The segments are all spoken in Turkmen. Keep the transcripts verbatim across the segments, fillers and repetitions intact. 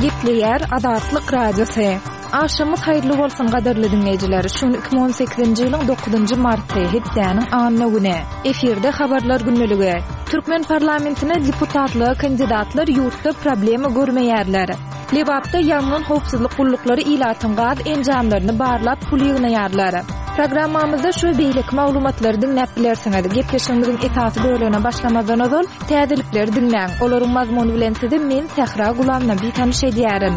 Gepleýär Azatlyk Radiosy. Agşamyňyz haýyrly bolsun gadyrly diňleýjiler. Şu gün iki müň on sekizinji ýylyň dokuzynjy marty, hepdäniň anna güni. Efirde habarlar gündeligi. Türkmen parlamentine deputatlyga kandidatlar ýurtda problema görmeýärler. Lebapda ýangyn howpsuzlyk gulluklary ilatyň gaz enjamlaryny barlap pul ýygnaýarlar. Programmamyzda şu we beýleki maglumatlary diňläp bilersiňiz. Gepleşigimiziň esasy bölegine başlamazdan ozal, täzelikleri diňläň. Olaryň mazmuny bilen sizi men Sähra Gulamnabi tanyş edýärin.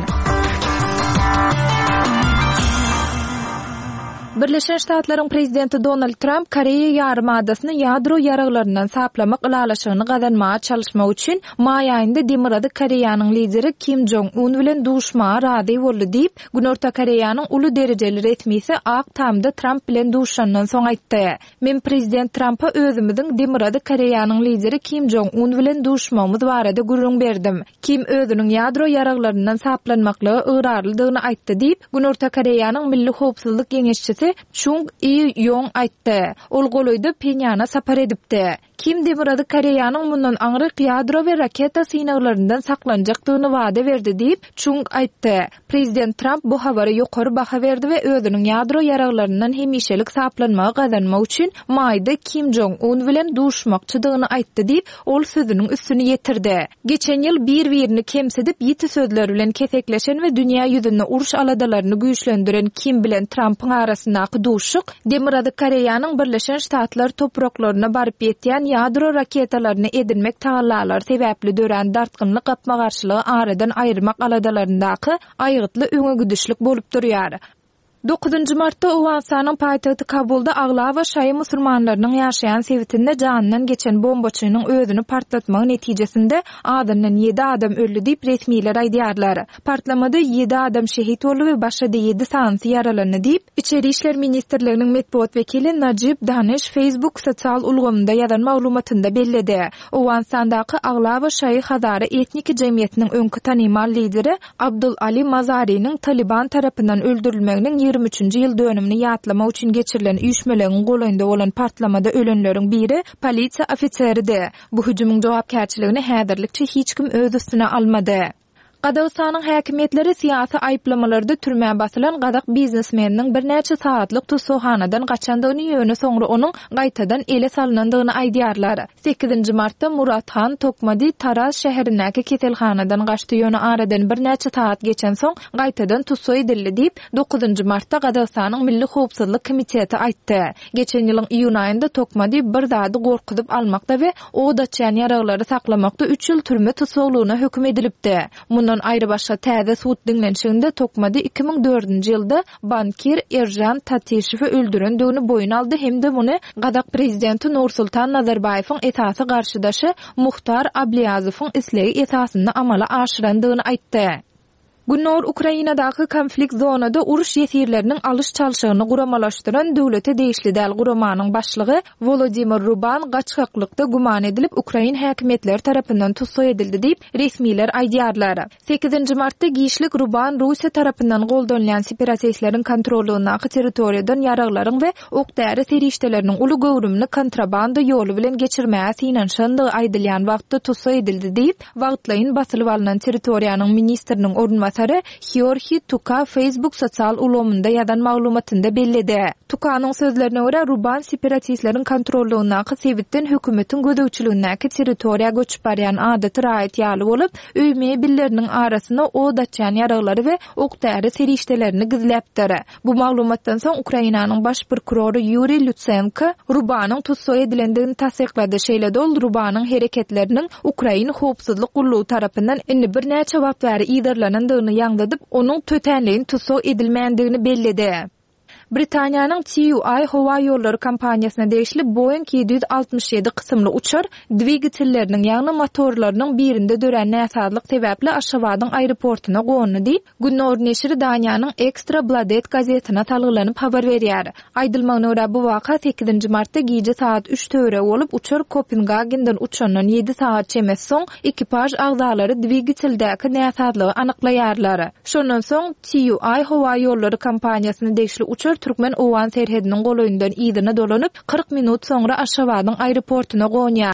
Birleşen Ştatlaryň prezidenti Donald Tramp Koreýa ýarymadasyny ýadro ýaraglaryndan saplamak ylalaşygyny gazanmaga çalyşmak üçin maý aýynda Demirgazyk Koreýanyň lideri Kim Jong Un bilen duşmaga razy boldy diýip, Günorta Koreýanyň uly derejeli resmisi Ak Tamda Tramp bilen duşandan soň aýtdy. Men prezident Trampa özümiziň Demirgazyk Koreýanyň lideri Kim Jong Un bilen duşmagymyz barada gürrüň berdim. Kim özüniň ýadro ýaraglaryndan saplanmaklyga ygrarlydygyny aýtdy diýip, Günorta Koreýanyň Milli howpsuzlyk geňeşçisi Çung I Ýong aýtdy. Ol golaýda Phenýana sapar edipdi. Kim Demirgazyk Koreýanyň mundan aňryk ýadro we raketa synaglaryndan saklanjakdygyny wada berdi diýip, Çung aýtdy. Prezident Tramp bu habara ýokary baha berdi we özüniň ýadro ýaraglaryndan hemişelik saplanmagy gazanmak üçin maýda Kim Jong Un bilen duşmakçydygyny aýtdy diýip, ol sözüniň üstüni ýetirdi. Geçen ýyl bir-birini kemsidip, ýiti sözler bilen kesekleşen we dünýä ýüzünde uruş aladalaryny güýçlendiren Kim bilen Trampyň arasyndaky duşuşyk Demirgazyk Koreýanyň Birleşen Ştatlar topraklaryna baryp ýetýän ýadro raketalaryny edinmek tagallalary sebäpli dörän dartgynly gapma-garşylygy aradan aýyrmak aladalaryndaky aýgytly öňegidişlik bolup durýar. Dokuzynjy martda Owganystanyň paýtagty Kabulda aglaba şaýy musulmanlarynyň ýaşaýan sebitinde janyndan geçen bombaçynyň özüni partlatmagy netijesinde azyndan ýedi adam öldi diýip, resmiler aýdýarlar. Partlamada ýedi adam şehit boldy we başga-da ýedi sanysy ýaralandy diýip, Içeri işler ministrliginiň metbugat wekili Najib Daniş Facebook sosial ulgamynda ýazan maglumatynda belledi. Owganystandaky aglaba şaýy hazara etniki jemgyýetiniň öňki tanymal lideri Abdul Ali Mazariniň Talyban tarapyndan öldürilmeginiň ýigrimi üçünji ýyl dönümini ýatlamak üçin geçirilen üýşmeleňiň golaýynda bolan partlamada ölenleriň biri polisiýa ofiseridi. Bu hüjümiň jogapkärçiligini häzirlikçe hiç kim öz üstüne almady. Gazagystanyň häkimiýetleri syýasy aýyplamalarda türmä basylan gazak biznesmeniniň birnäçe sagatlyk tussaghanadan gaçandygyny, ýöne soňra onuň gaýtadan ele salnandygyny aýdýarlar. Sekizinji martda Murathan Tokmadi Taraz şäherindäki keselhanadan gaçdy, ýöne aradan birnäçe sagat geçensoň gaýtadan tussag edildi diýip, dokuzynjy martda Gazagystanyň Milli howpsuzlyk komiteti aýtdy. Geçen ýylyň iýun aýynda Tokmadi bir zady gorkuzyp almakda we od açýan ýaraglary saklamakda üç ýyl türme tussaglygyna höküm edilipdi. Mundan aýrybaşga täze sud diňlenişiginde Tokmadi iki müň dördünji ýylda bankir Eržan Tatişewi öldürendigini boýun aldy hem-de muny gazak prezidenti Nursultan Nazarbaýewiň esasy garşydaşy Muhtar Abliýazowyň islegi esasynda amala aşyrandygyny aýtdy. Gündogar Ukrainadaky konflikt zonada uruş ýesirleriniň alyş-çalşygyny guramalaşdyran döwlete degişli däl guramanyň başlygy Wolodymyr Ruban gaçgaklykda güman edilip ukrain häkimiýetleri tarapyndan tussag edildi diýip, resmiler aýdýarlar. Sekizinji martda giçlik Ruban Russiýa tarapyndan goldanylýan separatistleriň kontrollygyndaky territoriýadan ýaraglaryň we ok-däri serişdeleriniň uly göwrümini kontrabanda ýoly bilen geçirmäge synanyşandygy aýdylýan wagtda tussag edildi diýip, wagtlaýyn basylyp alnan territoriýanyň ministriniň orunbasary Heorhiý Tuka Facebook sosial ulgamynda ýazan maglumatynda belledi. Tukanyň sözlerine görä, Ruban separatistleriň kontrollygyndaky sebitden hökümetiň gözegçiligindäki territoriýa göçüp barýan adaty raýat ýaly bolup, öý mebelleriniň arasynda od açýan ýaraglary we ok-däri serişdelerini gizläpdir. Bu maglumatdan soň Ukrainanyň baş prokurory Ýuriý Lutsenko Rubanyň tussag edilendigini tassyklady. Şeýle-de ol Rubanyň hereketleriniň Ukrain howpsuzlyk gullugy tarapyndan indi birnäçe wagt bäri yzarlanandygyny ýaňzydyp, onuň tötänleýin tussag edilmändigini belledi. Britaniýanyň T U I howa ýollary kompaniýasyna degişli Boeing ýedi ýüz altmyş ýedi kysymly uçar dwigatelleriniň, ýagny motorlarynyň birinde dörän näsazlyk sebäpli Aşgabadyň aeroportuna gondy diýip, Gündogar neşiri Daniýanyň Ekstra Bladet gazetine salgylanyp habar berýär. Aýdylmagyna görä, bu waka sekizinji martda gije sagat üç töweregi bolup, uçar Kopengagenden uçandan ýedi sagat çemesi soň ekipaž agzalary dwigateldäki näsazlygy anyklaýarlar. Şondan soň T U I howa ýollary kompaniýasyna degişli uçar türkmen-owgan serhediniň golaýyndan yzyna dolanyp, kyrk minut soňra Aşgabadyň aeroportuna gonýar.